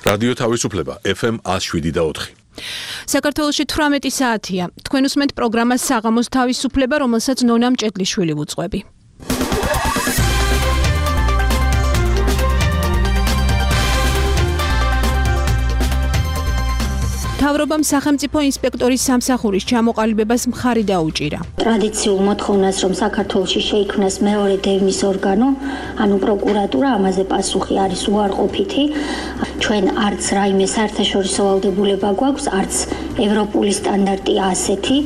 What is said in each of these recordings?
რადიო თავისუფლება FM 107.4. საქართველოში 18 საათია. თქვენ უსმენთ პროგრამას საღამოს თავისუფლება, რომელსაც ნონა მჭედლიშვილი ვუძღვები. თავრობამ სახელმწიფო ინსპექტორის სამსახურის ჩამოყალიბებას მხარი დაუჭირა. ტრადიციულ მოთხოვნას, რომ საქართველოში შეიქმნას მეორე დევნის ორგანო, ანუ პროკურატურა, ამაზე პასუხი არის უარყოფითი. ჩვენ არც რაიმე საერთაშორისო ვალდებულება გვაქვს, არც ევროპული სტანდარტია ასეთი.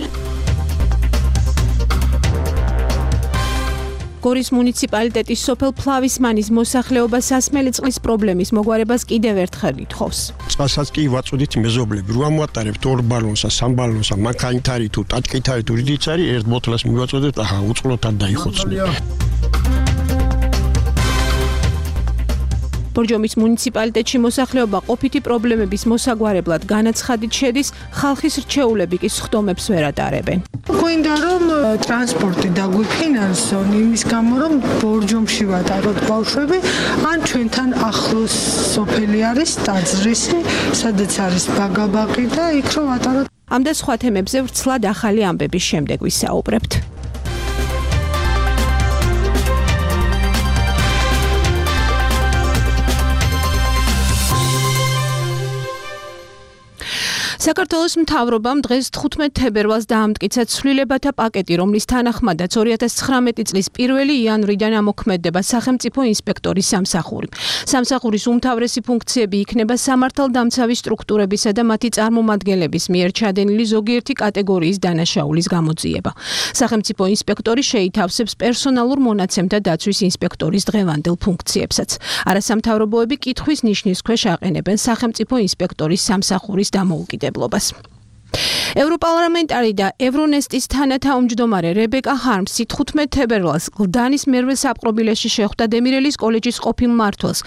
გორის მუნიციპალიტეტის სოფელ ფლავისმანის მოსახლეობა სასმელი წყლის პრობლემის მოგვარებას კიდევ ერთხელ ითხოვს. წყალსაც კი ვაწოდით მეზობლები, რო ამოვატარებთ 2 ბალონსა, 3 ბალონსა, მანქანითარი თუ ტაჭკითარი თუ რიდიც არის, ერთ ბოთლას მივაწოდეთ, ახლა უწყლოთად დაიხოცნია. ბორჯომის მუნიციპალიტეტში მოსახლეობა ყოფითი პრობლემების მოსაგვარებლად განაცხადით შედის, ხალხის რჩეულები კი სხდომებს ვერ ატარებენ. გვინდა რომ ტრანსპორტი დაგვიფინანსონ იმის გამო რომ ბორჯომში ვატაროთ ბავშვები, ან ჩვენთან ახლოს სოფელი არის ტაძრისი, სადაც არის ბაგაბაღი და იქ რომ ვატაროთ. ამ და სხვა თემებზე ვრცლად ახალი ამბების შემდეგ ვისაუბრებთ. საქართველოს მთავრობამ დღეს 15 თებერვალს დაამტკიცა ცვლილებათა პაკეტი, რომლის თანახმადაც 2019 წლის 1 იანვრიდან ამოქმედება სახელმწიფო ინსპექტორის სამსახური. სამსახურის უმთავრესი ფუნქციები იქნება სამართალდამცავი სტრუქტურებისა და მათი წარმომადგენლების მიერ ჩადენილი ზოგიერთი კატეგორიის დანაშაულის გამოძიება. სახელმწიფო ინსპექტორი შეითავსებს პერსონალურ მონაცემთა დაცვის ინსპექტორის დღევანდელ ფუნქციებსაც. არასამთავრობოები კითხვის ნიშნის ქვეშ აყენებენ სახელმწიფო ინსპექტორის სამსახურის დამოუკიდებლობას. ევროპარლამენტარი და ევრონესტის თანათავმჯდომარე რებეკა ჰარმსი 15 თებერვალს გლდანის მერვე საპყრობილეში შეხვდა დემირელის კოლეჯის ყოფილ მმართველს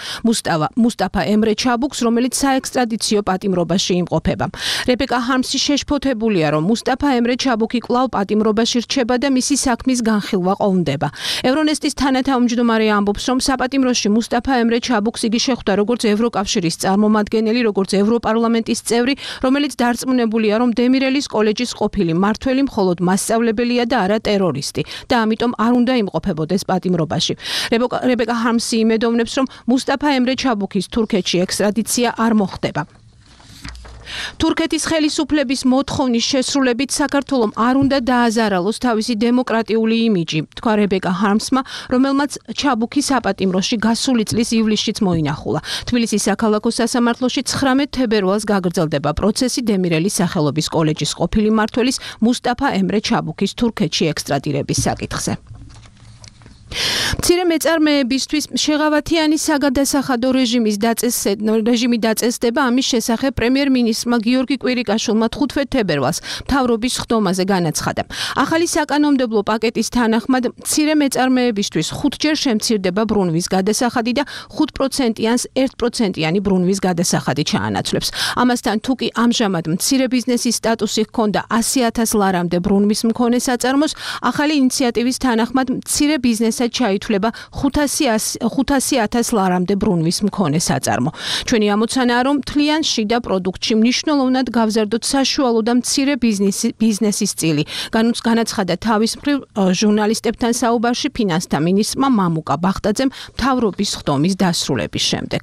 მუსტაფა ემრე ჩაბუქს, რომელიც საექსტრადიციო პატიმრობაში იმყოფება. რებეკა ჰარმსი შეშფოთებულია, რომ მუსტაფა ემრე ჩაბუქი კვლავ პატიმრობაში რჩება და მისი საქმის განხილვა ყოვნდება. ევრონესტის თანათავმჯდომარე ამბობს, რომ საპატიმროში მუსტაფა ემრე ჩაბუქს იგი შეხვდა როგორც ევროკავშირის წარმომადგენელი, როგორც ევროპარლამენტის წევრი, რომელიც დარწმუნებულია, რომ დემირელის კოლეჯის ყოფილი მმართველი მხოლოდ მასწავლებელია და არა ტერორისტი და ამიტომ არ უნდა იმყოფებოდეს პატიმრობაში. რებეკა ჰარმსი იმედოვნებს, რომ მუსტაფა ემრე ჩაბუქის თურქეთში ექსტრადიცია არ მოხდება. თურქეთის ხელისუფლების მოთხოვნის შესრულებით საქართველომ არ უნდა დააზარალოს თავისი დემოკრატიული იმიჯი, თქვა რებეკა ჰარმსმა, რომელმაც ჩაბუქი საპატიმროში გასული წლის ივლისშიც მოინახულა. თბილისის საქალაქო სასამართლოში 19 თებერვალს გაგრძელდება პროცესი დემირელის სახელობის კოლეჯის ყოფილი მმართველის მუსტაფა ემრე ჩაბუქის თურქეთში ექსტრადირების საკითხზე. მცირე მეწარმეებისთვის შეღავათიანი საგადასახადო რეჟიმი დაწესდება. ამის შესახებ პრემიერ-მინისტრმა გიორგი კვირიკაშვილმა 15 თებერვალს მთავრობის ხდომაზე განაცხადა. ახალი საკანონმდებლო პაკეტის თანახმად მცირე მეწარმეებისთვის 5ჯერ შემცირდება ბრუნვის გადასახადი და 5%-იან 1%-იანი ბრუნვის გადასახადი ჩაანაცვლებს. ამასთან თუ კი ამჟამად მცირე ბიზნესის სტატუსი ჰქონდა 100,000 ლარამდე ბრუნვის მქონე საწარმოს, ახალი ინიციატივის თანახმად მცირე ბიზნესად ჩაითვლება 500,000 ლარამდე ბრუნვის მქონე საწარმო. ჩვენი ამოცანაა, რომ მთლიან შიდა პროდუქტში მნიშვნელოვნად გავზარდოთ საშუალო და მცირე ბიზნესის წილი. განაცხადა თავის მხრივ ჟურნალისტებთან საუბარში ფინანსთა მინისტრმა მამუკა ბახტაძემ მთავრობის ხდომის დასრულების შემდეგ.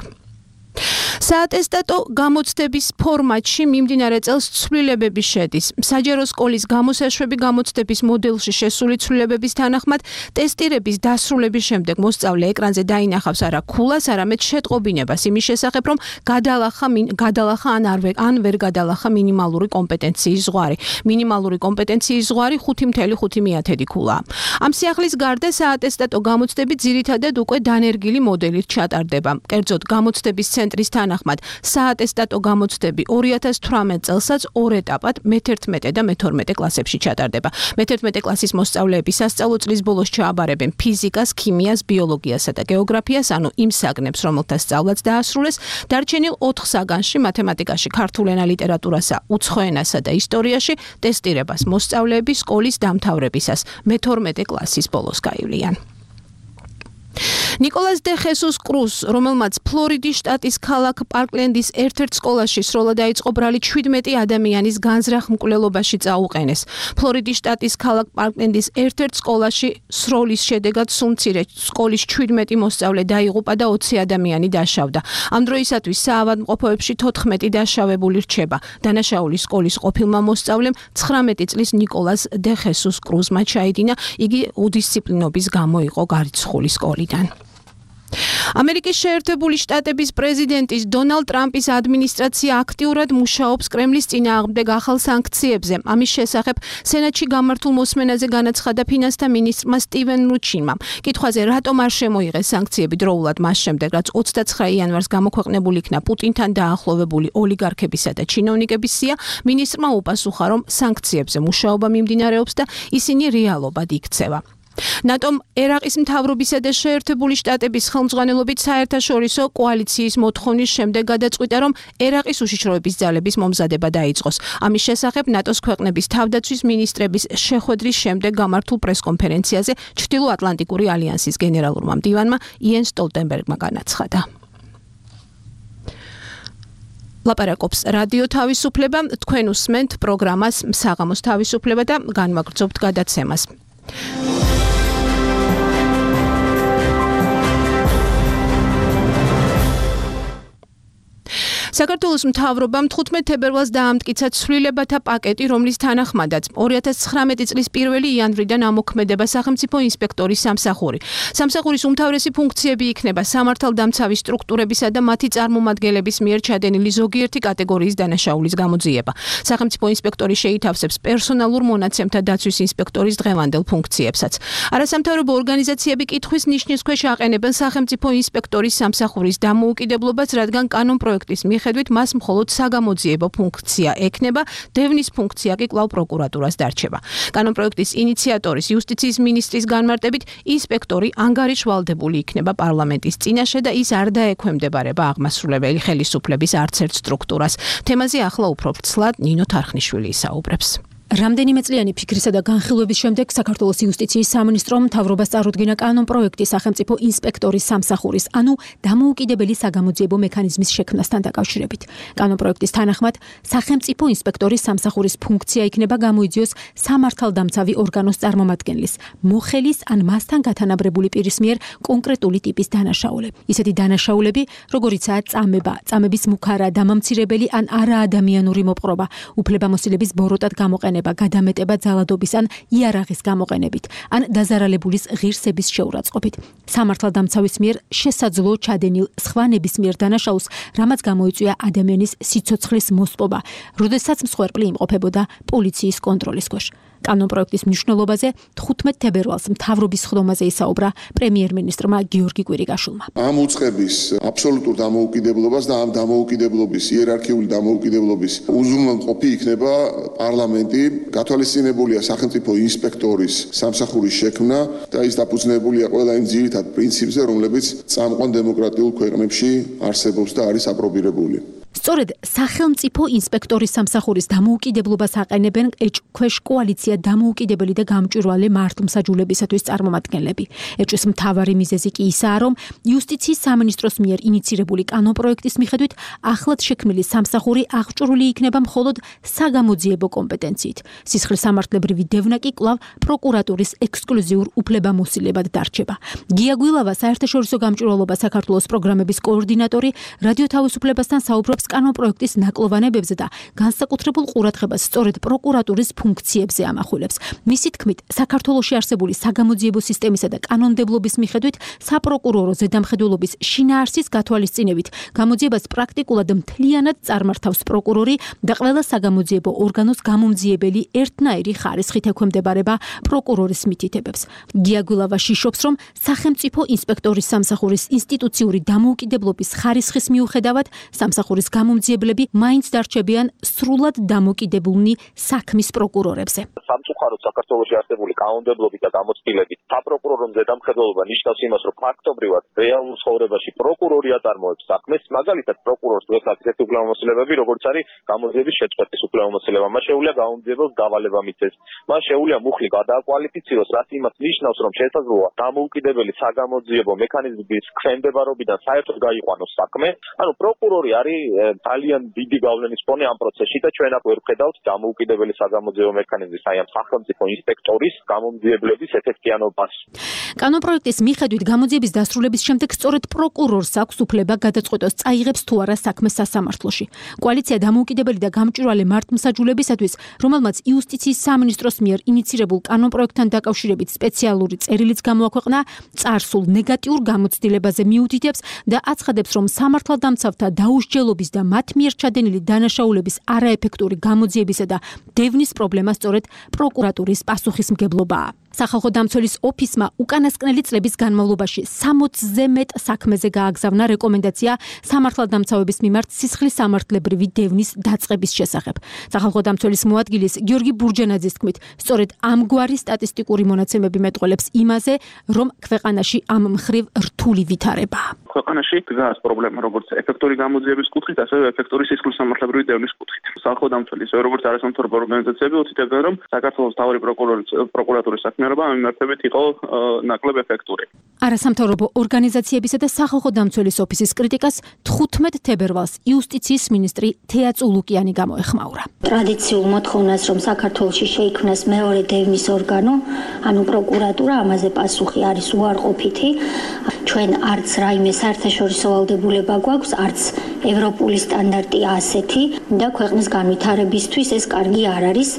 საატესტატო გამოცდების ფორმატში მიმდინარე წელს ცვლილებები შედის. საჯარო სკოლის გამოსაშვები გამოცდების მოდელში შესული ცვლილებების თანახმად ტესტირების დასრულების შემდეგ მოსწავლე ეკრანზე დაინახავს არა ქულას, არამედ შეტყობინებას იმის შესახებ, რომ გადალახა ან ვერ გადალახა მინიმალური კომპეტენციის ზღვარი. მინიმალური კომპეტენციის ზღვარი 5.5 ქულაა. ამ სიახლის გარდა საატესტატო გამოცდები ძირითადად უკვე დანერგილი მოდელით ჩატარდება. კერძოდ გამოცდების ცენტრის თანახმად საატესტატო გამოცდები 2018 წელსაც 2 ეტაპად მე-11 და მე-12 კლასებში ჩატარდება. მე-11 კლასის მოსწავლეები სასწავლო წლის ბოლოს ჩააბარებენ ფიზიკას, ქიმიას, ბიოლოგიასა და გეოგრაფიას, ანუ იმ საგნებს, რომელთა სწავლაც დაასრულეს. დარჩენილ 4 საგანში, მათემატიკაში, ქართულ ენა, ლიტერატურასა, უცხო ენასა და ისტორიაში ტესტირებას მოსწავლეები სკოლის დამთავრებისას მე-12 კლასის ბოლოს გაივლიან. ნიკოლას დე ხესუს კრუს, რომელმაც ფლორიდის შტატის ქალაქ პარკლენდის ერთ-ერთ სკოლაში სროლა დაიწყო, ბრალი 17 ადამიანის განზრახ მკვლელობაში წაუყენეს. ფლორიდის შტატის ქალაქ პარკლენდის ერთ-ერთ სკოლაში სროლის შედეგად სუმცირე სკოლის 17 მოსწავლე დაიღუპა და 20 ადამიანი დაშავდა. ამ დროისათვის საავადმყოფოებში 14 დაშავებული რჩება. დანაშაული სკოლის ყოფილმა მოსწავლემ 19 წლის ნიკოლას დე ხესუს კრუსმა ჩაიდინა, იგი უდისციპლინობის გამო იყო გარიცხული სკოლიდან. ამერიკის შეერთებული შტატების პრეზიდენტის დონალდ ტრამპის ადმინისტრაცია აქტიურად მუშაობს კრემლის წინააღმდეგ ახალ სანქციებზე. ამის შესახებ სენატში გამართულ მოსმენაზე განაცხადა ფინანსთა მინისტრმა სტივენ მნუჩინმა. კითხვაზე, რატომ არ შემოიღეს სანქციები დროულად მას შემდეგ, რაც 29 იანვარს გამოქვეყნებული იქნა პუტინთან დაახლოვებული ოლიგარქებისა და ჩინოვნიკების სია, მინისტრმა უპასუხა, რომ სანქციებზე მუშაობა მიმდინარეობს და ისინი რეალობად იქცევა. ნატომ ერაყის მთავრობისა და შეერთებული შტატების ხელმძღვანელობით საერთაშორისო კოალიციის მოთხოვნის შემდეგ გადაწყვიტა, რომ ერაყის უშიშროების ძალების მომზადება დაიწყოს. ამის შესახებ ნატოს ქვეყნების თავდაცვის მინისტრების შეხვედრის შემდეგ გამართულ პრესკონფერენციაზე ჩრდილოატლანტიკური ალიანსის გენერალურმა მდივანმა იენ სტოლტენბერგმა განაცხადა. ლაპარაკობს რადიო თავისუფლება, თქვენ უსმენთ პროგრამას საღამოს თავისუფლება და განვაგრძობთ გადაცემას. საქართველოს მთავრობამ 15 თებერვალს დაამტკიცა ცვლილებათა პაკეტი, რომლის თანახმადაც 2019 წლის 1 იანვრიდან ამოქმედება სახელმწიფო ინსპექტორის სამსახური. სამსახურის უმთავრესი ფუნქციები იქნება სამართალდამცავი სტრუქტურებისა და მათი წარმომადგენლების მიერ ჩადენილი ზოგიერთი კატეგორიის დანაშაულის გამოძიება. სახელმწიფო ინსპექტორი შეითავსებს პერსონალურ მონაცემთა დაცვის ინსპექტორის დღევანდელ ფუნქციებსაც. არასამთავრობო ორგანიზაციები კითხვის ნიშნის ქვეშ აყენებენ სახელმწიფო ინსპექტორის სამსახურის დამოუკიდებლობას, რადგან კანონპროექტის მიხედვით მას მხოლოდ საგამოძიებო ფუნქცია ექნება, დევნის ფუნქცია კი კვლავ პროკურატურას დარჩება. კანონპროექტის ინიციატორის იუსტიციის მინისტრის განმარტებით, ინსპექტორი ანგარიშვალდებული იქნება პარლამენტის წინაშე და ის არ დაექვემდებარება აღმასრულებელი ხელისუფლების არც ერთ სტრუქტურას. თემაზე ახლა უფრო ვრცლად ნინო თარხნიშვილი ისაუბრებს. რამდენიმე წლიანი ფიქრისა და განხილვების შემდეგ საქართველოს იუსტიციის სამინისტრომ მთავრობას წარუდგინა კანონპროექტი სახელმწიფო ინსპექტორის სამსახურის, ანუ დამოუკიდებელი საგამოძიებო მექანიზმის შექმნასთან დაკავშირებით. კანონპროექტის თანახმად, სახელმწიფო ინსპექტორის სამსახურის ფუნქცია იქნება გამოიძიოს სამართალდამცავი ორგანოს წარმომადგენლის, მოხელის ან მასთან გათანაბრებული პირის მიერ კონკრეტული ტიპის დანაშაულები. ისეთი დანაშაულები, როგორიცაა წამება, წამების მუქარა, დამამცირებელი ან არაადამიანური მოპყრობა, უფლებამოსილების ბოროტად გამოყენება, გადამეტება ძალადობის ან იარაღის გამოყენებით, ან დაზარალებულის ღირსების შეურაცხყოფით. სამართალდამცავის მიერ შესაძლო ჩადენილ სხვა ნებისმიერ დანაშაულს, რამაც გამოიწვია ადამიანის სიცოცხლის მოსპობა, როდესაც მსხვერპლი იმყოფებოდა პოლიციის კონტროლის ქვეშ. კანონპროექტის მნიშვნელობაზე 15 თებერვალს მთავრობის ხდომაზე ისაუბრა პრემიერ-მინისტრმა გიორგი კვირიკაშვილმა. ამ უწყების აბსოლუტურ დამოუკიდებლობას და ამ დამოუკიდებლობის იერარქიული დამოუკიდებლობის უზრუნველყოფი იქნება პარლამენტი. გათვალისწინებულია სახელმწიფო ინსპექტორის სამსახურის შექმნა და ის დაფუძნებულია ყველა იმ ძირითად პრინციპზე, რომლებიც წამყვან დემოკრატიულ ქვეყნებში არსებობს და არის აპრობირებული. სწორედ სახელმწიფო ინსპექტორის სამსახურის დამოუკიდებლობას აყენებენ ეჭქვეშ კოალიცია დამოუკიდებელი და გამჭვირვალე მართლმსაჯულებისათვის წარმომადგენლები. ეჭვის მთავარი მიზეზი კი ისაა, რომ იუსტიციის სამინისტროს მიერ ინიცირებული კანონპროექტის მიხედვით ახლად შექმნილი სამსახური აღჭურვილი იქნება მხოლოდ საგამოძიებო კომპეტენციით. სისხლისამართლებრივი დევნა კი კვლავ პროკურატურის ექსკლუზიურ უფლებამოსილებად დარჩება. გია გვილავა, საერთაშორისო გამჭვირვალობა საქართველოს პროგრამების კოორდინატორი, რადიო თავისუფლებასთან საუბრობს კანონპროექტის ნაკლოვანებებზე და განსაკუთრებულ ყურადღებას სწორედ პროკურატურის ფუნქციებზე ამახვილებს. მისი თქმით, საქართველოში არსებული საგამოძიებო სისტემისა და კანონმდებლობის მიხედვით საპროკურორო ზედამხედველობის შინაარსის გათვალისწინებით გამოძიებას პრაქტიკულად მთლიანად წარმართავს პროკურორი და ყველა საგამოძიებო ორგანოს გამომძიებელი ერთნაირი ხარისხით ექვემდებარება პროკურორის მითითებებს. გია გვილავა შიშობს, რომ სახელმწიფო ინსპექტორის სამსახურის ინსტიტუციური დამოუკიდებლობის ხარისხის მიუხედავად სამსახურის გამომძიებლები მაინც დარჩებიან სრულად დამოკიდებულნი საქმის პროკურორებზე. სამწუხაროდ საქართველოში არსებული კანონმდებლობით და გამოცდილებით საპროკურორო მზედამხედველობა ნიშნავს იმას, რომ ფაქტობრივად რეალურ ცხოვრებაში პროკურორი აწარმოებს საქმეს, მაგალითად პროკურორს დღესაც ესეთი უფლებამოსილებები, როგორც არის გამოძიების შეწყვეტის უფლებამოსილება, მას შეუძლია გამომძიებელს დავალება მიცეს, მას შეუძლია მუხლი გადააკვალიფიციროს, რაც იმას ნიშნავს, რომ შესაძლოა დამოუკიდებელი საგამოძიებო მექანიზმის ქვემდებარობიდან საერთოდ გაიყვანოს საქმე. ანუ პროკურორი არის ძალიან დიდი გავლენის ფონი ამ პროცესში და ჩვენ აქ ვერ ვხედავთ დამოუკიდებელი საგამოძიებო მექანიზმის, აი ამ სახელმწიფო ინსპექტორის გამომძიებლების ეფექტიანობას. კანონპროექტის მიხედვით გამოძიების დასრულების შემდეგ სწორედ პროკურორს აქვს უფლება გადაწყვეტოს წაიღებს თუ არა საქმეს სასამართლოში. კოალიცია დამოუკიდებელი და გამჭვირვალე მართლმსაჯულებისათვის, რომელმაც იუსტიციის სამინისტროს მიერ ინიცირებულ კანონპროექტთან დაკავშირებით სპეციალური წერილიც გამოაქვეყნა, წარსულ ნეგატიურ გამოცდილებაზე მიუთითებს და აცხადებს, რომ სამართალდამცავთა დაუსჯელობის და მათ მიერ ჩადენილი დანაშაულების არაეფექტური გამოძიებისა და დევნის პრობლემა სწორედ პროკურატურის პასუხისმგებლობაა. სახალხო დამცველის ოფისმა უკანასკნელი წლების განმავლობაში 60-ზე მეტ საქმეზე გააგზავნა რეკომენდაცია სამართალდამცავების მიმართ სისხლის სამართლებრივი დევნის დაწყების შესახებ. სახალხო დამცველის მოადგილის გიორგი ბურჯენაძის თქმით, სწორედ ამგვარი სტატისტიკური მონაცემები მეტყველებს იმაზე, რომ ქვეყანაში ამ მხრივ რთული ვითარებაა. ქვეყანაში დგას პრობლემა როგორც ეფექტური გამოძიების კუთხით, ასევე ეფექტური სისხლის სამართლებრივი დევნის კუთხით. სახალხო დამცველი, ასევე როგორც არასამთავრობო ორგანიზაციები უთითებენ, რომ საქართველოს მთავარი პროკურატურის საქმიანობა ამ მიმართებით იყო ნაკლებ ეფექტური. არასამთავრობო ორგანიზაციებისა და სახალხო დამცველის ოფისის კრიტიკას 15 თებერვალს იუსტიციის მინისტრი თეა წულუკიანი გამოეხმაურა. ტრადიციულ მოთხოვნას, რომ საქართველოში შეიქმნას მეორე დევნის ორგანო, ანუ პროკურატურა, ამაზე პასუხი არის უარყოფითი. ჩვენ არც რაიმე საერთაშორისო ვალდებულება გვაქვს, არც ევროპული სტანდარტია ასეთი და ქვეყნის განვითარებისთვის ეს კარგი არ არის.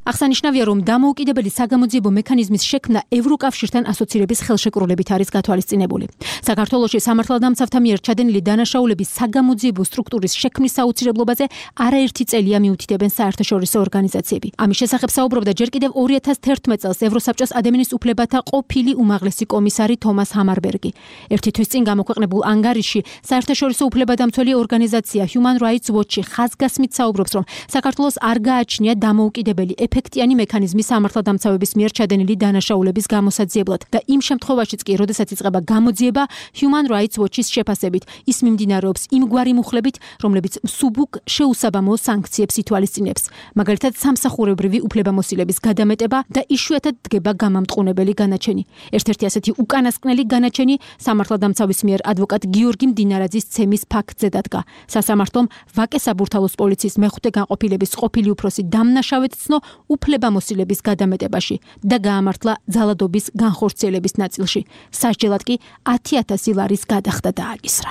აღსანიშნავია, რომ დამოუკიდებელი საგამოძიებო მექანიზმის შექმნა ევროკავშირთან ასოცირების ხელშეკრულებით არის გათვალისწინებული. საქართველოში სამართალდამცავთა მიერ ჩადენილი დანაშაულების საგამოძიებო სტრუქტურის შექმნის საოცრებლობაზე არაერთი წელია მიუთითებენ საერთაშორისო ორგანიზაციები. ამის შესახებ საუბრობდა ჯერ კიდევ 2011 წელს ევროსაბჭოს ადამიანის უფლებათა ყოფილი უმაღლესი კომისარი თომას ჰამარბერგი. ერთი თვის წინ გამოქვეყნებულ ანგარიშში საერთაშორისო უფლებადამცველი ორგანიზაცია Human Rights Watch ხაზგასმით საუბრობს, რომ საქართველოს არ გააჩნია დამოუკიდებელი ეფექტიანი მექანიზმი სამართალდამცავების მიერ ჩადენილი დანაშაულების გამოსაძიებლად და იმ შემთხვევაშიც კი, როდესაც იწყება გამოძიება, Human Rights Watch-ის შეფასებით, ის მიმდინარეობს იმგვარი მუხლებით, რომლებიც მსუბუქ შეუსაბამო სანქციებს ითვალისწინებს. მაგალითად, სამსახურებრივი უფლებამოსილების გადამეტება და იშვიათად დგება გამამტყუნებელი განაჩენი. ერთ-ერთი ასეთი უკანასკნელი განაჩენი სამართალდამცავის მიერ ადვოკატ გიორგი მდინარაძის ცემის ფაქტზე დადგა. სასამართლომ ვაკე საბურთალოს პოლიციის მეხუთე განყოფილების ყოფილი უფროსი დამნაშავედ ცნო უფლებამოსილების გადამეტებაში და გაამართლა ძალადობის განხორციელების ნაწილში. სასჯელად კი 10,000 ლარის გადახდა დააკისრა.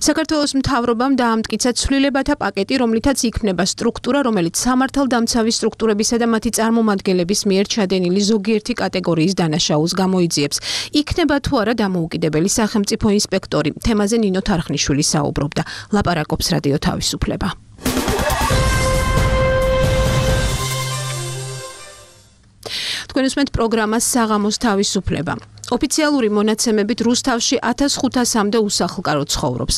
საქართველოს მთავრობამ დაამტკიცა ცვლილებათა პაკეტი, რომლითაც იქმნება სტრუქტურა, რომელიც სამართალდამცავი სტრუქტურებისა და მათი წარმომადგენლების მიერ ჩადენილი ზოგიერთი კატეგორიის დანაშაულს გამოიძიებს. იქნება თუ არა დამოუკიდებელი სახელმწიფო ინსპექტორი. თემაზე ნინო თარხნიშვილი საუბრობდა. ლაპარაკობს რადიო თავისუფლება. თქვენ უსმენთ პროგრამას საღამოს თავისუფლება. ოფიციალური მონაცემებით რუსთავში 1500-მდე უსახლკარო ცხოვრობს.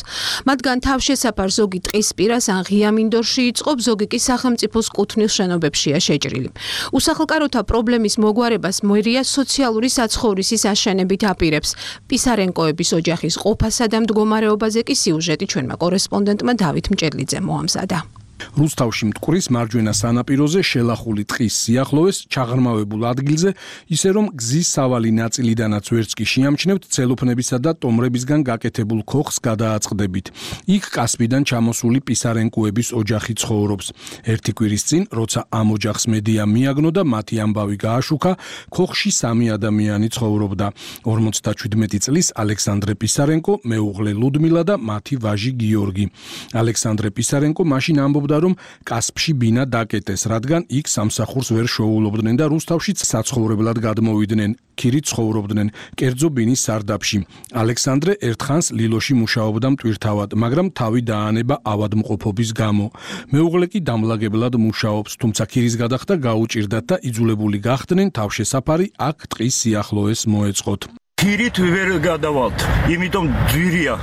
მათგან თავშესაფარ ზოგი ტყის პირას ან ღია მინდორში იწყობს, ზოგი კი სახელმწიფოს კუთვნილ შენობებშია შეჭრილი. უსახლკაროთა პრობლემის მოგვარებას მერია სოციალური საცხოვრისის აშენებით აპირებს. პისარენკოების ოჯახის ყოფასა და მდგომარეობაზე კი სიუჟეტი ჩვენმა კორესპონდენტმა დავით მჭედლიძემ მოამზადა. რუსთავში მტკვრის მარჯვენა სანაპიროზე შელახული ტყის სიახლოვეს ჩაღრმავებულ ადგილზე, ისე რომ გზის სავალი ნაწილიდანაც ვერც კი შეამჩნევთ ცელოფნებისა და ტომრებისგან გაკეთებულ ქოხს გადააწყდებით. იქ კასპიდან ჩამოსული პისარენკოების ოჯახი ცხოვრობს. ერთი კვირის წინ, როცა ამ ოჯახს მედია მიაგნო და მათი ამბავი გააშუქა, ქოხში 3 ადამიანი ცხოვრობდა. 57 წლის ალექსანდრე პისარენკო, მეუღლე ლუდმილა და მათი ვაჟი გიორგი. ალექსანდრე პისარენკო მაშინ ამბობდა, რომ კასპში ბინა დაკეტეს, რადგან იქ სამსახურს ვერ შოულობდნენ და რუსთავშიც საცხოვრებლად გადმოვიდნენ. ქირით ცხოვრობდნენ, კერძო ბინის სარდაფში. ალექსანდრე ერთხანს ლილოში მუშაობდა მტვირთავად, მაგრამ თავი დაანება ავადმყოფობის გამო. მეუღლე კი დამლაგებლად მუშაობს, თუმცა ქირის გადახდა გაუჭირდათ და იძულებული გახდნენ თავშესაფარი აქ ტყის სიახლოვეს მოეწყოთ. ქირით ვერ გადავალთ, იმიტომ ძვირია.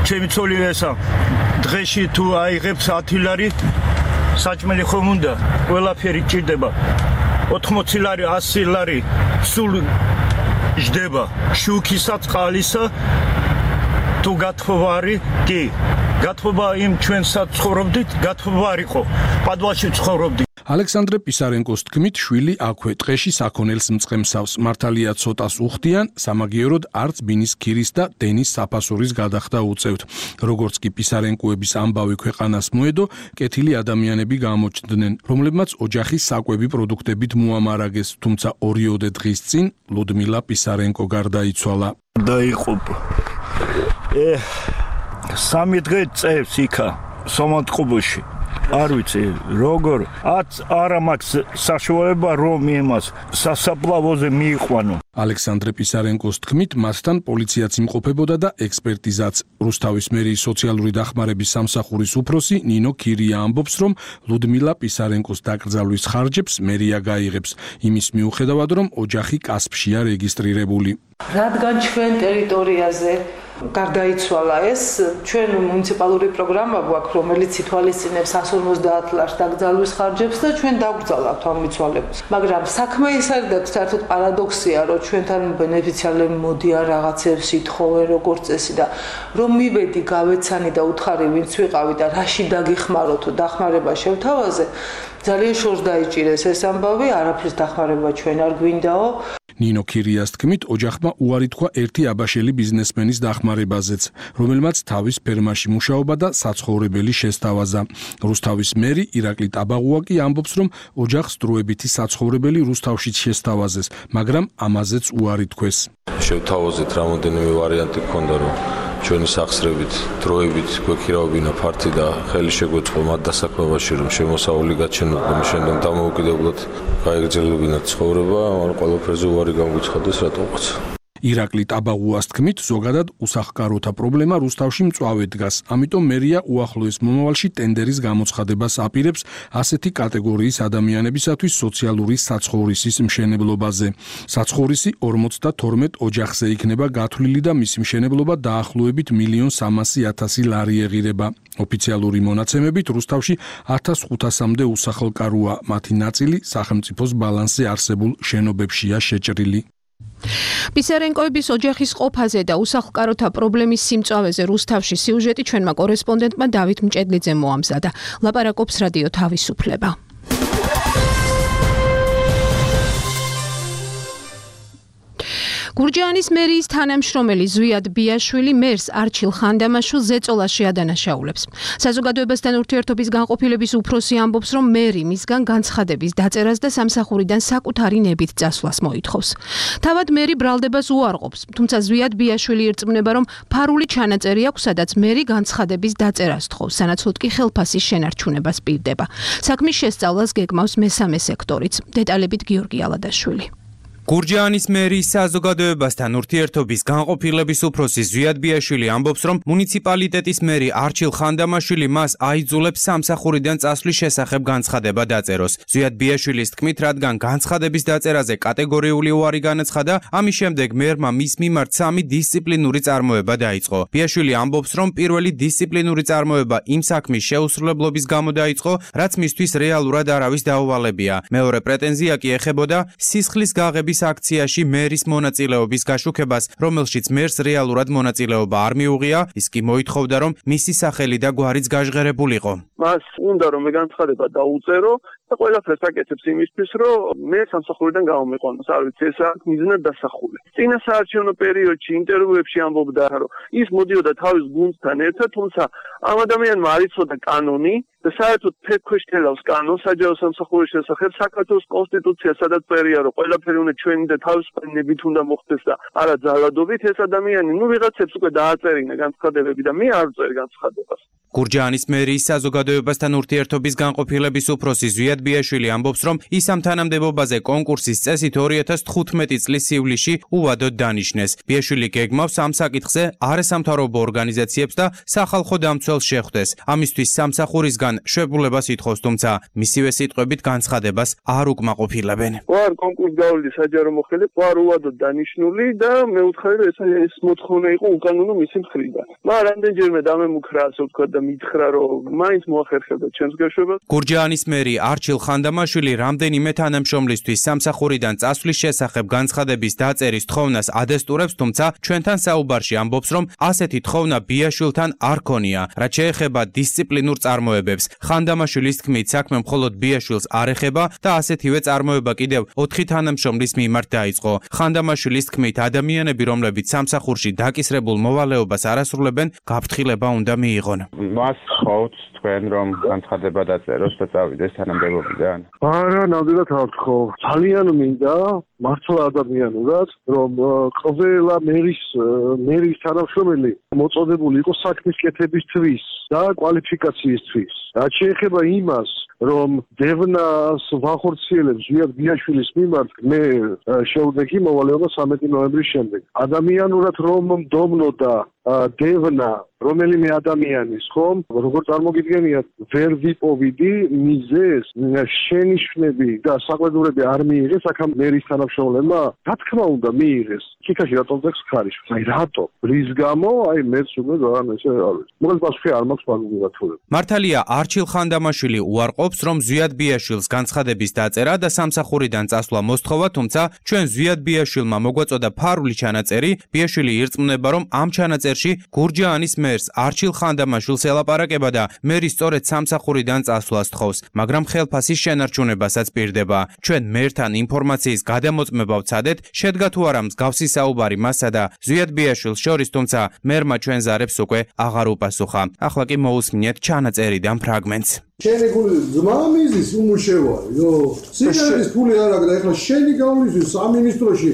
ჩემი ცოლი ესა დღეში თუ აიღებს 10 ლარი საჭმელი ხომ უნდა ყველაფერი ჭირდება 80 ლარი 100 ლარი სულ ჯდება შუქისა წყალისა თუ გათხოვა არის კი გათხოვა იმ ჩვენსაც ცხოვრობდით გათხოვა არისო პადვაში ცხოვრობდით ალექსანდრე პისარენკოს თქმით შვილი აქვე ტყეში საქონელს მწყემსავს მართალია ცოტას უხდიან სამაგიეროდ არც ბინის ქირის და დენის საფასურის გადახდა უწევთ როგორც კი პისარენკოების ამბავი ქვეყანას მოედო კეთილი ადამიანები გამოჩნდნენ რომლებმაც ოჯახის საკვები პროდუქტებით მოამარაგეს თუმცა 2 დღის წინ ლუდმილა პისარენკო გარდაიცვალა დაიღუპა 3 დღე წევს იქა სომატყუბოში არ ვიცი როგორ არა მაქვს საშუალება რომ იმას სასაფლავოზე მიიყვანო ალექსანდრე პისარენკოს თქმით მასთან პოლიციაც იმყოფებოდა და ექსპერტიზაც რუსთავის მერიის სოციალური დახმარების სამსახურის უფროსი ნინო ქირია ამბობს რომ ლუდმილა პისარენკოს დაკრძალვის ხარჯებს მერია გაიღებს იმის მიუხედავად რომ ოჯახი კასპშია რეგისტრირებული რადგან ჩვენ ტერიტორიაზე გარდაიცვალა ეს ჩვენ მუნიციპალური პროგრამა გვაქვს რომელიც ითვალისწინებს 150 ლარს დაკრძალვის ხარჯებს და ჩვენ დავგრძალავთ ამ მიცვალებას მაგრამ საქმე ის არის და საერთოდ პარადოქსია რომ ჩვენთან ბენეფიციარები მოდიან რაღაცებს ითხოვენ როგორც წესი და რომ მივედი გავეცანი და უთხარი ვინც ვიყავი და რაში დაგიხმარო თუ დახმარება შევთავაზე ძალიან შორს დაიჭირეს ეს ამბავი არაფრის დახმარება ჩვენ არ გვინდაო ნინო ქირიას თქმით ოჯახმა უარი თქვა ერთი აბაშელი ბიზნესმენის დახმარებაზეც, რომელმაც თავის ფერმაში მუშაობა და საცხოვრებელი შესთავაზა. რუსთავის მერი ირაკლი ტაბაღუაკი ამბობს, რომ ოჯახს დროებითი საცხოვრებელი რუსთავშიც შესთავაზეს, მაგრამ ამაზეც უარი თქვეს. შევთავაზეთ რამოდენიმე ვარიანტი ჰქონდა, რომ ჩვენი სახსრებით დროებით გვექირავებინა ფართი და ხელი შეგვეწყო მათ დასაქმებაში, რომ შემოსავალი გაჩენოდა, მის შემდეგ დამოუკიდებლად გაეგრძელებინათ ცხოვრება, მაგრამ ყველაფერზე უარი გამგვიცხადეს რატომღაც. ირაკლი ტაბაღუას თქმით, ზოგადად უსახკაროთა პრობლემა რუსთავში მწვავედ დგას, ამიტომ მერია უახლოეს მომავალში ტენდერის გამოცხადებას აპირებს ასეთი კატეგორიის ადამიანებისათვის სოციალური საცხოვრისის მშენებლობაზე. საცხოვრისი 52 ოჯახზე იქნება გათვლილი და მისი მშენებლობა დაახლოებით 1.3 ლარი ეღირება. ოფიციალური მონაცემებით რუსთავში 1500-მდე უსახლკაროა, მათი ნაწილი სახელმწიფოს ბალანსზე არსებულ შენობებშია შეჭრილი. პისარენკოების ოჯახის ყოფაზე და უსახლკაროთა პრობლემის სიმწავეზე რუსთავში სიუჟეტი ჩვენმა კორესპონდენტმა დავით მჭედლიძემ მოამზადა. ლაპარაკობს რადიო თავისუფლება. გურჯაანის მერიის თანამშრომელი ზვიად ბიაშვილი მერს არჩილ ხანდამაშვილს ზეწოლაში ადანაშაულებს. საზოგადოებასთან ურთიერთობის განყოფილების უფროსი ამბობს, რომ მერი მისგან განცხადების დაწერას და სამსახურიდან საკუთარი ნებით წასვლას მოითხოვს. თავად მერი ბრალდებას უარყოფს, თუმცა ზვიად ბიაშვილი ირწმუნება, რომ ფარული ჩანაწერი აქვს, სადაც მერი განცხადების დაწერას თხოვს, სანაცვლოდ კი ხელფასის შენარჩუნებას პირდება. საქმის შესწავლას გეგმავს მესამე სექტორიც. დეტალებით გიორგი ალადაშვილი. გურჯაანის მერიის საზოგადოებასთან ურთიერთობის განყოფილების უფროსი ზვიად ბიაშვილი ამბობს, რომ მუნიციპალიტეტის მერი არჩილ ხანდამაშვილი მას აიძულებს სამსახურიდან წასვლის შესახებ განცხადება დაწეროს. ზვიად ბიაშვილის თქმით, რადგან განცხადების დაწერაზე კატეგორიული უარი განაცხადა, ამის შემდეგ მერმა მის მიმართ 3 დისციპლინური წარმოება დაიწყო. ბიაშვილი ამბობს, რომ პირველი დისციპლინური წარმოება იმ საქმის შეუსრულებლობის გამო დაიწყო, რაც მისთვის რეალურად არავის დაუვალებია. მეორე პრეტენზია კი ეხებოდა სისხლის გაღების აქციაში მერის მონაწილეობის გაშუქებას, რომელშიც მერს რეალურად მონაწილეობა არ მიუღია, ის კი მოითხოვდა, რომ მისი სახელი და გვარიც გაჟღერებულიყო. მას უნდა რომ განცხადება დაუწერო და ყველაფერს აკეთებს იმისთვის, რომ მე სამსახურიდან გამომიყვანოს. არ ვიცი, ეს აქ მიზნად დასახული. წინა საარჩევნო პერიოდში ინტერვიუებში ამბობდა, რომ ის მოდიოდა თავის გუნდთან ერთად, თუმცა ამ ადამიანმა არ იცოდა კანონი და საერთოდ ფეთქვეშ თელავს კანონს საჯარო სამსახურის შესახებ საქართველოს კონსტიტუცია, სადაც წერია, რომ ყველაფერი უნდა ჩვენი და თავისუფალი ნებით უნდა მოხდეს და არა ძალადობით. ეს ადამიანი, ვიღაცებს უკვე დააწერინა განცხადებები და მე არ ვწერ განცხადებას. გურჯაანის მერიის საზოგადოებასთან ურთიერთობის განყოფილების უფროსი ზვიად ბიაშვილი ამბობს, რომ ის ამ თანამდებობაზე კონკურსის წესით 2015 წლის ივლისში უვადოდ დანიშნეს. ბიაშვილი გეგმავს ამ საკითხზე არასამთავრობო ორგანიზაციებს და სახალხო დამცველს შეხვდეს. ამისთვის სამსახურისგან შვებულებას ითხოვს, თუმცა მისივე სიტყვებით განცხადებას არ უკმაყოფილებენ. ვარ კონკურს გავლილი საჯარო მოხელე, ვარ უვადოდ დანიშნული და მე ვუთხარი, რომ ეს მოთხოვნა იყო უკანონო მისი მხრიდან. მაგრამ რამდენჯერმე დამემუქრა, ასე ვთქვათ და მითხრა, რომ მაინც მოახერხებდა ჩემს გაშვებას. გურჯაანის მერი არჩილ ხანდამაშვილი რამდენიმე თანამშრომლისთვის სამსახურიდან წასვლის შესახებ განცხადების დაწერის თხოვნას ადესტურებს, თუმცა ჩვენთან საუბარში ამბობს, რომ ასეთი თხოვნა ბიაშვილთან არ ქონია. რაც შეეხება დისციპლინურ წარმოებებს, ხანდამაშვილის თქმით, საქმე მხოლოდ ბიაშვილს არ ეხება და ასეთივე წარმოება კიდევ 4 თანამშრომლის მიმართ დაიწყო. ხანდამაშვილის თქმით, ადამიანები, რომლებიც სამსახურში დაკისრებულ მოვალეობას არ ასრულებენ, გაფრთხილება უნდა მიიღონ. მას ხავთ თქვენ რომ განცხადება დაწეროს და წავიდეს თანამდებობიდან? არა, ნამდვილად არ ვთხოვ. ძალიან მინდა მართლა ადამიანურად, რომ ყველა მერის თანამშრომელი მოწოდებული იყოს საქმის კეთებისთვის და კვალიფიკაციისთვის. რაც შეეხება იმას, რომ დევნას ვახორციელებს ზვიად ბიაშვილის მიმართ, მე შევდეგი მოვალეობა 13 ნოემბრის შემდეგ. ადამიანურად რომ მდომნოდა დევნა რომელიმე ადამიანის, ხომ? როგორ წარმოგიდგენიათ, ვერ ვიპოვიდი მიზეს, შენიშვნები და საყვედურები არ მიიღეს აქ მერის თანამშრომლებმა? რა თქმა უნდა მიიღეს. ქიქაში რატომ ძახს ხარისხს? აი რატო? რის გამო? აი მეც უკვე ძალიან ესე არ ვიცი. მოკლედ პასუხი არ მაქვს მაგურათურებ. მართალია არჩილ ხანდამაშვილი უარყოფს, რომ ზვიად ბიაშვილს განცხადების დაწერა და სამსახურიდან წასვლა მოსთხოვა, თუმცა ჩვენ ზვიად ბიაშვილმა მოგვაწოდა ფარული ჩანაწერი, ბიაშვილი ირწმუნება, რომ ამ ჩანაწერში გურჯაანის მერს არჩილ ხანდამაშვილს ელაპარაკება და მერი სწორედ სამსახურიდან წასვლას თხოვს, მაგრამ ხელფასის შენარჩუნებასაც პირდება. ჩვენ მერთან ინფორმაციის გადამოწმება ვცადეთ, შედგა თუ არა მსგავსი საუბარი მასსა და ზვიად ბიაშვილს შორის, თუმცა მერმა ჩვენ ზარებს უკვე აღარ უპასუხა. ახლა კი მოусმინეთ ჩანაწერიდან ფრაგმენტს. შენი გული ძმა მიზის უმუშევარი, სიგარეტის ფული არ აქვს და ეხლა შენი გავლისთვის სამინისტროში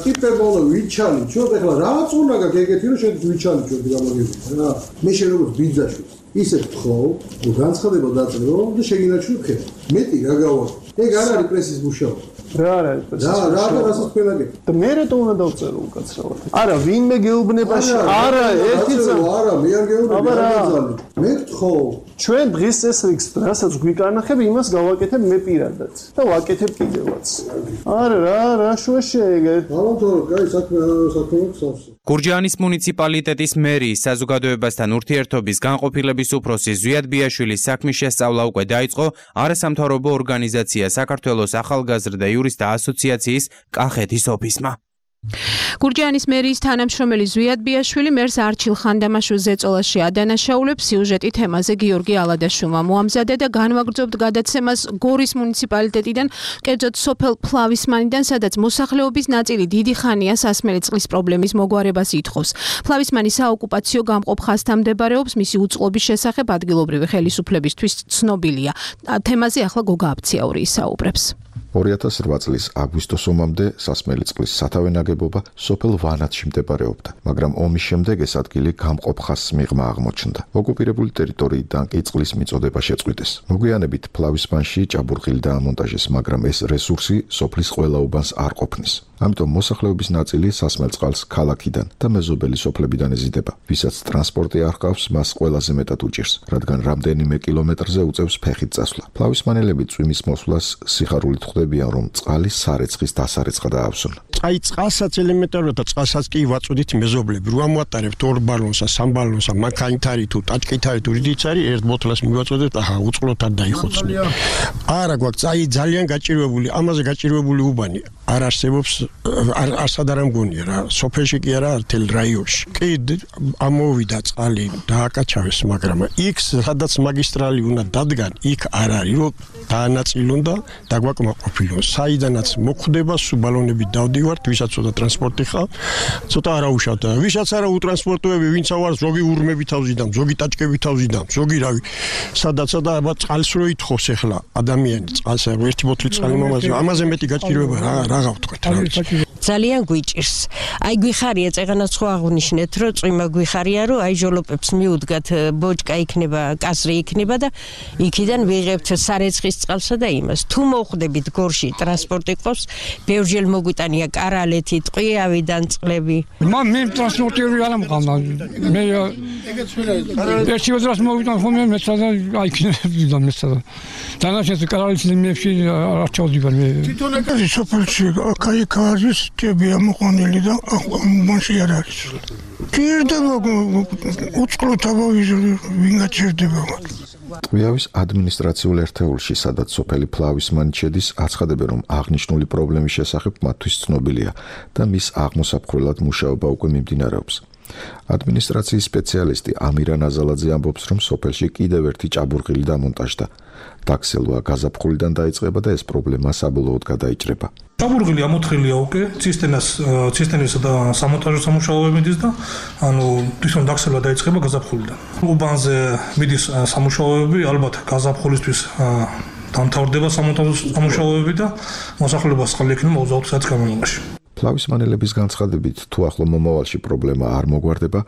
ტიპებმა უნდა ვიჩალიჩოთ, ეხლა რაც უნდა გაქვს ეგეთი რომ შენ ვიჩალიჩოთ გამოგიგვიდა რა. მე შენ როგორც ბიძაშვილს ისე ვთხოვ, რომ განცხადება დაწერო და შეგინარჩუნო ხე. მეტი რა გავაკეთო. ეგ არ არის პრესის მუშაობა. რა არის პრესის მუშაობა? რა რასაც ქვენაგე. და მე რატომ უნდა დავწერო უკაცრავად? არა, ვინმე გეუბნებაში, არა, ერთი არა, მე არ გეუბნები, არ გაძალი. მე ვთხოვ ჩვენ დღეს ეს რიგს, რასაც გვიკანახებ, იმას გავაკეთებ მე პირადად და ვაკეთებ კიდევაც. არა, რა შუაში ეგეთ. ალბათ, კაი, საქმე გვაქვს. გურჯაანის მუნიციპალიტეტის მერიის საზოგადოებასთან ურთიერთობის განყოფილების უფროსი ზვიად ბიაშვილის საქმის შესწავლა უკვე დაიწყო არასამთავრობო ორგანიზაცია საქართველოს ახალგაზრდა იურისტთა ასოციაციის კახეთის ოფისმა. გურჯაანის მერიის თანამშრომელი ზვიად ბიაშვილი მერს არჩილ ხანდამაშვილს ზეწოლაში ადანაშაულებს. სიუჟეტი თემაზე გიორგი ალადაშვილმა მოამზადა და განვაგრძობთ გადაცემას გორის მუნიციპალიტეტიდან, კერძოდ სოფელ ფლავისმანიდან, სადაც მოსახლეობის ნაწილი დიდი ხანია სასმელი წყლის პრობლემის მოგვარებას ითხოვს. ფლავისმანი საოკუპაციო გამყოფ ხაზთან მდებარეობს, მისი უწყლობის შესახებ ადგილობრივი ხელისუფლებისთვის ცნობილია. თემაზე ახლა გოგა აბციაური ისაუბრებს. 2008 წლის აგვისტოს ომამდე სასმელი წყლის სათავე ნაგებობა სოფელ ვანათში მდებარეობდა, მაგრამ ომის შემდეგ ეს ადგილი გამყოფ ხაზს მიღმა აღმოჩნდა. ოკუპირებული ტერიტორიიდან კი წყლის მიწოდება შეწყვიტეს. მოგვიანებით ფლავისმანში ჭაბურღილი დაამონტაჟეს, მაგრამ ეს რესურსი სოფლის ყველა უბანს არ ყოფნის. ამიტომ მოსახლეობის ნაწილი სასმელ წყალს ქალაქიდან და მეზობელი სოფლებიდან ეზიდება. ვისაც ტრანსპორტი არ ჰყავს, მას ყველაზე მეტად უჭირს, რადგან რამდენიმე კილომეტრზე უწევს ფეხით წასვლა. ფლავისმანელები წვიმის მოსვლას სიხარულით ხვდებიან, რომ წყალი სარეცხის დასარეცხა დაავსონ. აი წყალსაც ელემენტარულად და წყალსაც კი ვაწოდით მეზობლები. რო ამოატარებთ 2 ბალონსა, 3 ბალონსა, მანქანითარი თუ ტაჭკითარი თუ რიდიც არის, ერთ ბოთლას მივაწოდეთ, აჰა, უწყლოთ არ დაიხოცო. არა გვაქვს, აი ძალიან გაჭირვებული, ამაზე გაჭირვებული უბანი არ არსებობს, არსად არ მგონია რა. სოფელში კი არა, თელ რაიონში. კი ამოვიდა წყალი, დააკაჩავეს, მაგრამ იქ სადაც მაგისტრალი უნდა დადგან, იქ არ არის, რომ დაანაწილონ და დაგვაკმაყოფილონ. საიდანაც მოხვდება, სულ ბალონები დავდივართ, ვისაც ცოტა ტრანსპორტი ხარ, ცოტა არავუშავთ. ვისაც არა უტრანსპორტოები, ვინც ავარ, ზოგი ურმები თავზიდან, ზოგი ტაჭკები თავზიდან, ზოგი რავი. სადაც აბა წყალს რო ითხოვს ახლა ადამიანი, წყალს ერთი ბოთლი წყალი მომაზე, ამაზე მეტი გაჭირვება რა გავთქვათ რა. ძალიან გვიჭირს. Აი გვიხარია წეგანაც ხო აღნიშნეთ, რომ წვიმა გვიხარია, რომ აი ჟოლოპებს მიუდგათ ბოჭკა იქნება, კასრი იქნება და იქიდან ვიღებთ სარეცხის წყალსა და იმას. თუ მოხვდებით გორში ტრანსპორტი ყავს, ბევრჯერ მოგვიტანია კარალეთი, ტყვიავიდან წყლები. მე ტრანსპორტი არ ამყავდა. მე ერთი ვადრას მოვიტან ხოლმე მეცადა აი იქნებდა მეცადა. დანაშენს კარალეთის ლინიებში არ ჩავდივარ მე. თვითონ აკაზი სოფელში კაი კარის ტები ამოყონილი და მაშინ არ არის. ჭირდება უწყლო თავი ვინ გაჭირდება. ტყვიავის ადმინისტრაციულ ერთეულში, სადაც სოფელი ფლავისმანი შედის, აცხადებენ, რომ აღნიშნული პრობლემის შესახებ მათთვის ცნობილია და მის აღმოსაფხრელად მუშაობა უკვე მიმდინარეობს. ადმინისტრაციის სპეციალისტი ამირა ნაზალაძე ამბობს, რომ სოფელში კიდევ ერთი ჭაბურღილი დამონტაჟდა. დაქსელვა გაზაფხულიდან დაიწყება და ეს პრობლემა საბოლოოდ გადაიჭრება. ჭაბურღილი ამოთხილია უკვე ცისტერნისა და სამონტაჟო სამუშაოებიდის და თვითონ დაქსელვა დაიწყება გაზაფხულიდან. უბანზე მიდის სამუშაოები, ალბათ გაზაფხულისთვის დამთავრდება სამონტაჟო სამუშაოები და მოსახლეობას წყალი ექნება 24 საათის განმავლობაში. ფლავისმანელების განცხადებით, თუ ახლო მომავალში პრობლემა არ მოგვარდება,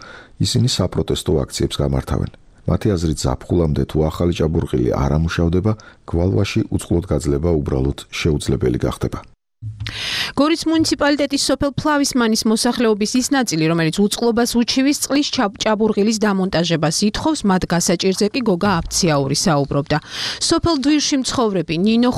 ისინი საპროტესტო აქციებს გამართავენ. მათი აზრით, ზაფხულამდე თუ ახალი ჭაბურღილი არ ამუშავდება, გვალვაში უწყლოდ გაძლება უბრალოდ შეუძლებელი გახდება. გორის მუნიციპალიტეტის სოფელ ფლავისმანის მოსახლეობის ის ნაწილი, რომელიც უწყლობას უჩივის წყლის ჭაბურღილის დამონტაჟებას ითხოვს, მათ გასაჭირზე კი გოგა აფციაური საუბრობდა. სოფელ დვირში მცხოვრები ნინო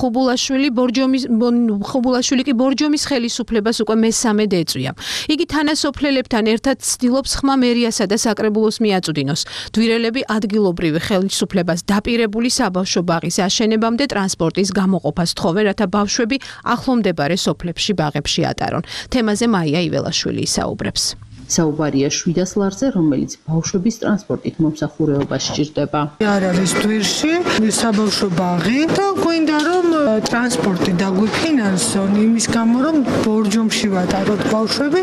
ხუბულაშვილი კი ბორჯომის ხელისუფლებას უკვე მესამედ ეწვია. იგი თანასოფლელებთან ერთად ცდილობს ხმა მერიასა და საკრებულოს მიაწვდინოს. დვირელები ადგილობრივი ხელისუფლებას დაპირებული საბავშვო ბაღის აშენებამდე ტრანსპორტის გამოყოფას თხოვენ, რათა ბავშვები ახლომდებარე სოფლებში ბაღებში ატარონ. თემაზე მაია იველაშვილი ისაუბრებს. საუბარია 700 ლარზე, რომელიც ბავშვების ტრანსპორტით მომსახურებას სჭირდება. არ არის დვირში საბავშვო ბაღი და გვინდა რომ ტრანსპორტი დაგვიფინანსონ იმის გამო რომ ბორჯომში ვატაროთ ბავშვები,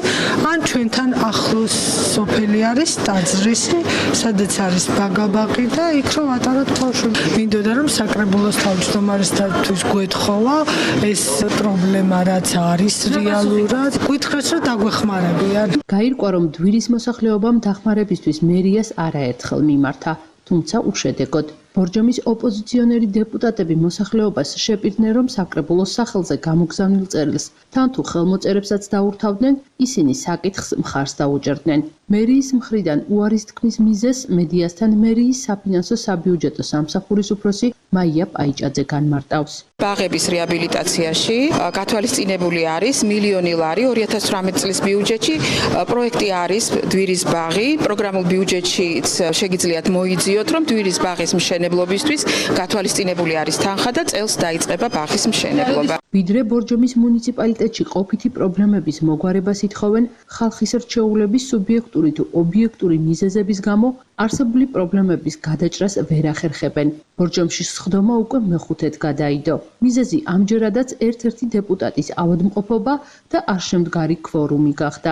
ან ჩვენთან ახლოს სოფელი არის ტაძრისი, სადაც არის ბაგაბაღი და იქ რომ ვატაროთ ბავშვები. მინდოდა რომ საკრებულოს თავმჯდომარესთვის გვეთხოვა ეს პრობლემა რაც არის რეალურად, გითხრათ რომ დაგვეხმარებიან. გაირკვა რომ დვირის მოსახლეობამ დახმარებისთვის მერიას არაერთხელ მიმართა, თუმცა უშედეგოდ. ბორჯომის ოპოზიციონერი დეპუტატები მოსახლეობას შეპირდნენ, რომ საკრებულოს სახელზე გამოგზავნილ წერილს თან თუ ხელმოწერებსაც დაურთავდნენ, ისინი საკითხს მხარს დაუჭერდნენ. მერიის მხრიდან უარის თქმის მიზეზს მედიასთან მერიის საფინანსო საბიუჯეტო სამსახურის უფროსი მაია პაიჭაძე განმარტავს. ბაღების რეაბილიტაციაში გათვალისწინებული არის 1 მილიონი ლარი 2018 წლის ბიუჯეტში. პროექტი არის დვირის ბაღი. პროგრამულ ბიუჯეტშიც შეგიძლიათ მოიძიოთ, რომ დვირის ბაღის მშენებლობისთვის გათვალისწინებული არის თანხა და წელს დაიწყება ბაღის მშენებლობა. ვიდრე ბორჯომის მუნიციპალიტეტში ყოფითი პრობლემების მოგვარებას ითხოვენ, ხალხის რჩეულების სუბიექტური თუ ობიექტური მიზეზების გამო არსებული პრობლემების გადაჭრას ვერ ახერხებენ. ბორჯომში სხდომა უკვე მეხუთედ გადაიდო. მიზეზი ამჯერადაც ერთ-ერთი დეპუტატის ავადმყოფობა და არ შემდგარი ქვორუმი გახდა.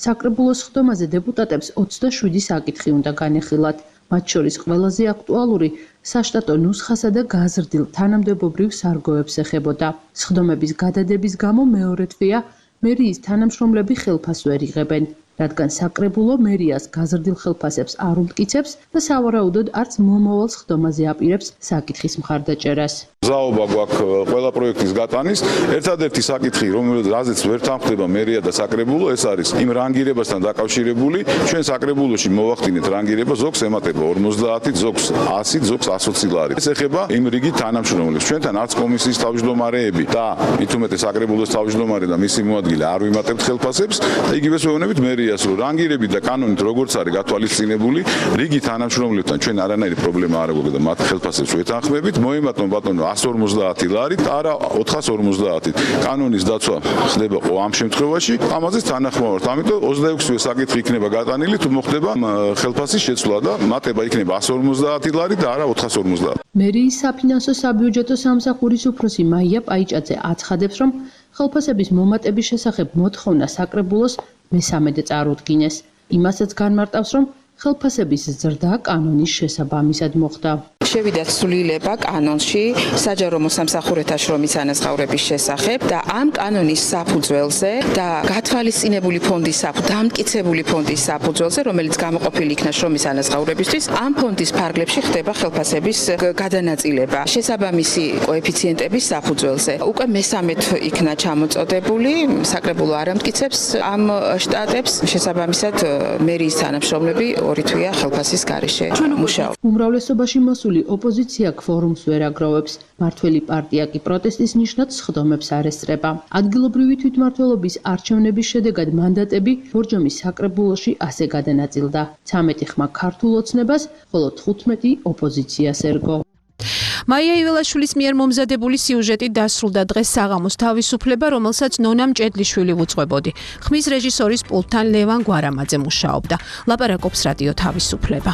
საკრებულოს სხდომაზე დეპუტატებს 27 საკითხი უნდა განეხილათ. მათ შორის ყველაზე აქტუალური საშტატო ნუსხასა და გაზრდილ თანამდებობრივ სარგოებს ეხებოდა. სხდომების გადადების გამო მეორე თვეა მერიის თანამშრომლები ხელფასს ვერ იღებენ, რადგან საკრებულო მერიას გაზრდილ ხელფასებს არ უმტკიცებს და სავარაუდოდ არც მომავალ სხდომაზე აპირებს საკითხის მხარდაჭერას. ზაობა გვაქვს ყველა პროექტის გატანის. ერთადერთი საკითხი, რომელზეც ვერ თანხმდება მერია და საკრებულო, ეს არის იმ რანგირებასთან დაკავშირებული. ჩვენ საკრებულოში მოვახდინეთ რანგირება, ზოგს ემატება 50, ზოგს 100, ზოგს 120 ლარი. ეს ეხება იმ რიგით თანამშრომლებს. ჩვენთან არც კომისიის თავმჯდომარეები და მით უმეტეს საკრებულოს თავმჯდომარე და მისი მოადგილე არ ვიმატებთ ხელფასებს და იგივეს ვეუბნებით მერიას, რომ რანგირები და კანონით როგორც არის გათვალისწინებული, რიგი თანამშრომლებთან ჩვენ არანაირი პრობლემა არ აქვს და მათ ხელფასებს ვეთანხმებით. მოიმატონ ბატონო 150 ლარი და არა 450. კანონის დაცვა ხდება ამ შემთხვევაში, ამაზე თანახმოვართ. ამიტომ 26-ვე საკითხი იქნება გატანილი, თუ მოხდება ხელფასის შეცვლა და მატება იქნება 150 ლარი და არა 450. მერიის საფინანსო საბიუჯეტო სამსახურის უფროსი მაია პაიჭაძე აცხადებს, რომ ხელფასების მომატების შესახებ მოთხოვნა საკრებულოს მესამედე წარუდგინეს. იმასაც განმარტავს, რომ ხელფასების ზრდა კანონის შესაბამისად მოხდა. შევიდა ცვლილება კანონში საჯარო მოსამსახურეთა შრომის ანაზღაურების შესახებ და ამ კანონის საფუძველზე და გათვალისწინებული ფონდის დამტკიცებული ფონდის საფუძველზე, რომელიც გამოყოფილი იქნა შრომის ანაზღაურებისთვის, ამ ფონდის ფარგლებში ხდება ხელფასების გადანაწილება შესაბამისი კოეფიციენტების საფუძველზე. უკვე მესამედ იქნა ჩამოწოდებული, საკრებულო არ ამტკიცებს ამ შტატებს, შესაბამისად მერიის თანამშრომლები ორი თვეა ხელფასის გარეშე მუშაობენ. უმრავლესობაში მოსული ოპოზიცია ქვორუმს ვერ აგროვებს. მართველი პარტია კი პროტესტის ნიშნად სხდომებს არ ესწრება. ადგილობრივი თვითმმართველობის არჩევნების შედეგად მანდატები ბორჯომის საკრებულოში ასე გადანაწილდა. 13 ხმა ქართულ ოცნებას, ხოლო 15 ოპოზიციას ერგო. მაია იველაშვილის მიერ მომზადებული სიუჟეტი დასრულდა დღეს საღამოს თავისუფლება, რომელსაც ნონა მჭედლიშვილი უძღვებოდი. ხმის რეჟისორის პულტთან ლევან გვარამაძე მუშაობდა. ლაპარაკობს რადიო თავისუფლება.